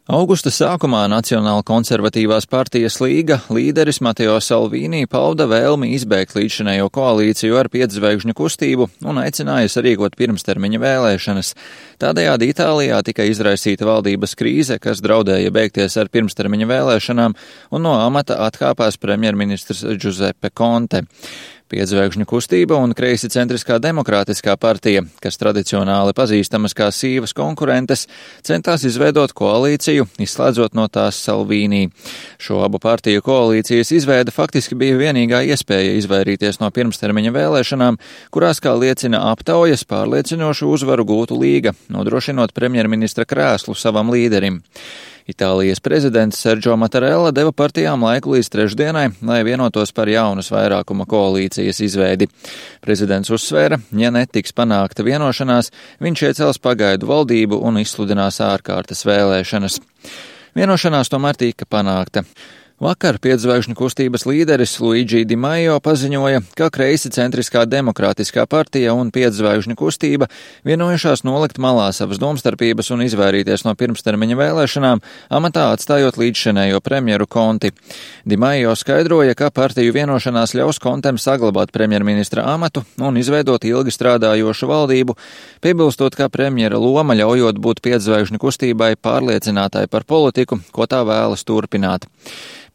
Augusta sākumā Nacionāla konservatīvās partijas Līga līderis Mateo Salvini pauda vēlmi izbeigt līdzšinējo koalīciju ar piedzvaigžņu kustību un aicināja sarīkot pirmstermiņa vēlēšanas. Tādējādi Itālijā tika izraisīta valdības krīze, kas draudēja beigties ar pirmstermiņa vēlēšanām, un no amata atkāpās premjerministrs Giuseppe Conte. Piedzvaigžņu kustība un kreisi centriskā demokrātiskā partija, kas tradicionāli pazīstamas kā sīvas konkurentes, centās izveidot koalīciju, izslēdzot no tās Salvini. Šo abu partiju koalīcijas izveide faktiski bija vienīgā iespēja izvairīties no pirmstermiņa vēlēšanām, kurās, kā liecina aptaujas, pārliecinošu uzvaru gūtu Līga, nodrošinot premjerministra krēslu savam līderim. Itālijas prezidents Sergio Mattarella deva partijām laiku līdz trešdienai, lai vienotos par jaunas vairākuma koalīcijas izveidi. Prezidents uzsvēra, ja netiks panākta vienošanās, viņš iecels pagaidu valdību un izsludinās ārkārtas vēlēšanas. Vienošanās tomēr tika panākta. Vakar piedzvaigžņu kustības līderis Luigi Di Maio paziņoja, ka kreisi centriskā demokrātiskā partija un piedzvaigžņu kustība vienojušās nolikt malā savas domstarpības un izvairīties no pirmstermiņa vēlēšanām, amatā atstājot līdzšinējo premjeru Conti. Di Maio skaidroja, ka partiju vienošanās ļaus Contem saglabāt premjerministra amatu un izveidot ilgi strādājošu valdību, piebilstot, ka premjera loma ļaujot būt piedzvaigžņu kustībai pārliecinātai par politiku, ko tā vēlas turpināt.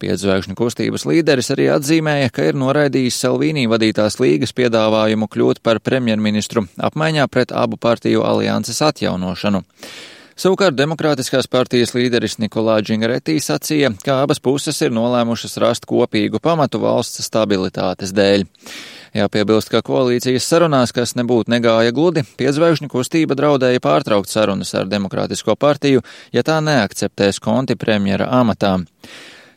Piedzvaigžņu kustības līderis arī atzīmēja, ka ir noraidījis Salvini vadītās Līgas piedāvājumu kļūt par premjerministru apmaiņā pret abu partiju alianses atjaunošanu. Savukārt demokrātiskās partijas līderis Nikolā Džingaretī sacīja, ka abas puses ir nolēmušas rast kopīgu pamatu valsts stabilitātes dēļ. Jāpiebilst, ka koalīcijas sarunās, kas nebūtu negāja gludi, piedzvaigžņu kustība draudēja pārtraukt sarunas ar Demokrātisko partiju, ja tā neakceptēs Conti premjera amatā.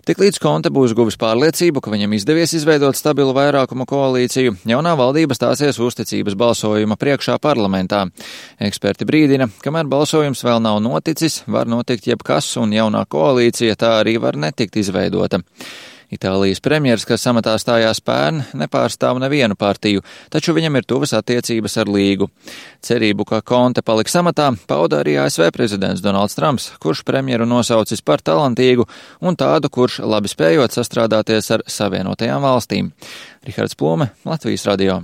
Tiklīdz Conte būs guvis pārliecību, ka viņam izdevies izveidot stabilu vairākumu koalīciju, jaunā valdība stāsies uzticības balsojuma priekšā parlamentā. Eksperti brīdina, kamēr balsojums vēl nav noticis, var notikt jebkas un jaunā koalīcija tā arī var netikt izveidota. Itālijas premjers, kas amatā stājās pērn, nepārstāv nevienu partiju, taču viņam ir tuvas attiecības ar Līgu. Cerību, ka Conte paliks amatā, pauda arī ASV prezidents Donalds Trumps, kurš premjeru nosaucis par talantīgu un tādu, kurš labi spējot sastrādāties ar Savienotajām valstīm. Rihards Plome, Latvijas radio.